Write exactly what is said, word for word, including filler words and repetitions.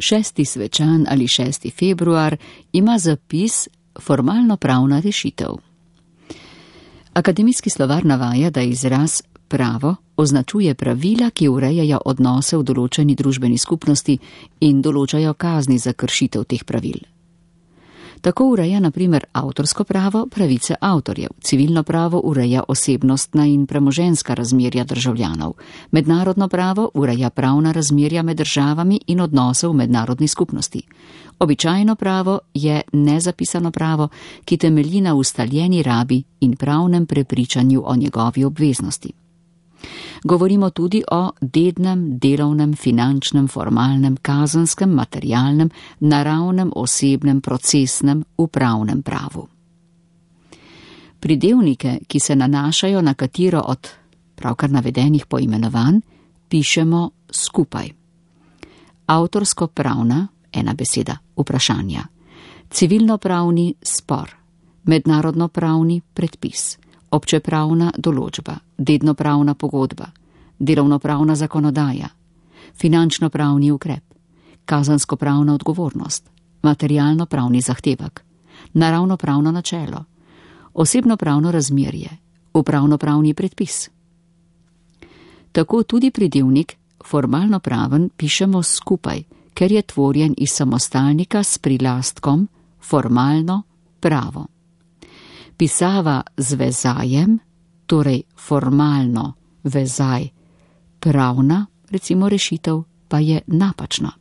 Šesti svečan ali šesti februar ima zapis formalno pravna rešitev. Akademijski slovar navaja, da izraz pravo označuje pravila, ki urejajo odnose v določeni družbeni skupnosti in določajo kazni za kršitev teh pravil. Tako ureja na primer avtorsko pravo pravice avtorjev, civilno pravo ureja osebnostna in premoženjska razmerja državljanov, mednarodno pravo ureja pravna razmerja med državami in odnose v mednarodni skupnosti. Običajno pravo je nezapisano pravo, ki temelji na ustaljeni rabi in pravnem prepričanju o njegovi obveznosti. Govorimo tudi o dednem, delovnem, finančnem, formalnem, kazenskem, materialnem, naravnem, osebnem, procesnem, upravnem pravu. Pridevnike, ki se nanašajo na katero od pravkar navedenih poimenovanj, pišemo skupaj. Avtorsko-pravna, ena beseda, vprašanja. Civilno-pravni spor, mednarodno-pravni predpis, občepravna določba, dednopravna pogodba, delovnopravna zakonodaja, finančno-pravni ukrep, kazensko-pravna odgovornost, materialno-pravni zahtevek, naravno-pravno načelo, osebno-pravno razmerje, upravno-pravni predpis. Tako tudi pridevnik formalno-praven pišemo skupaj, ker je tvorjen iz samostalnika s prilastkom formalno pravo. Pisava z vezajem, torej formalno vezaj, pravna, recimo rešitev, pa je napačna.